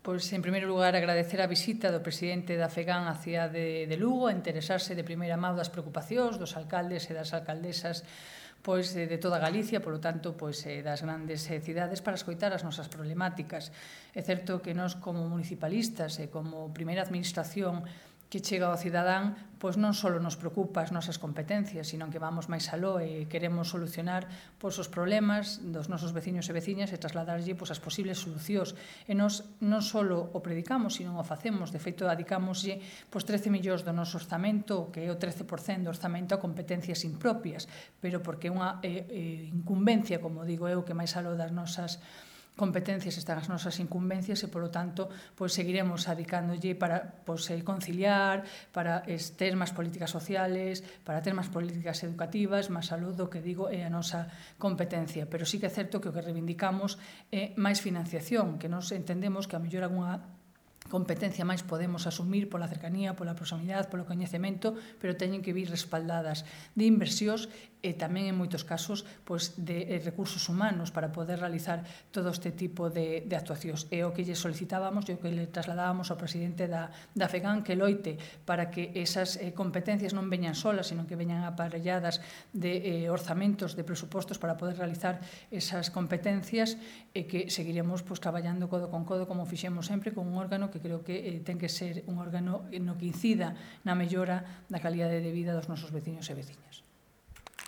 Pois, en primeiro lugar, agradecer a visita do presidente da FEGAN á cidade de Lugo, a interesarse de primeira mão das preocupacións dos alcaldes e das alcaldesas pois de toda Galicia, polo tanto, pois das grandes cidades para escoitar as nosas problemáticas. É certo que nós como municipalistas e como primeira administración que chega ao cidadán, pois non só nos preocupa as nosas competencias, sino que vamos máis aló e queremos solucionar pois os problemas dos nosos veciños e veciñas e trasladarlle pois as posibles solucións. E nós non só o predicamos, sino o facemos. De feito, adicámoslle pois 13 millóns do noso orzamento, que é o 13% do orzamento a competencias impropias, pero porque é unha incumbencia, como digo eu, que máis aló das nosas competencias están as nosas incumbencias e, polo tanto, pois seguiremos adicándolle para conciliar, para ter máis políticas sociales, para ter máis políticas educativas, máis aló do que digo é a nosa competencia. Pero sí que é certo que o que reivindicamos é máis financiación, que nos entendemos que a mellor algunha competencia máis podemos asumir pola cercanía, pola proximidade, polo coñecemento, pero teñen que vir respaldadas de inversións e tamén en moitos casos de recursos humanos para poder realizar todo este tipo de actuacións. E o que lle solicitábamos e o que le trasladábamos ao presidente da FEGAN que loite para que esas competencias non veñan solas, sino que veñan aparelladas de orzamentos, de presupostos para poder realizar esas competencias e que seguiremos traballando codo con codo como fixemos sempre con un órgano que creo que ten que ser un órgano no que incida na mellora da calidade de vida dos nosos veciños e veciñas.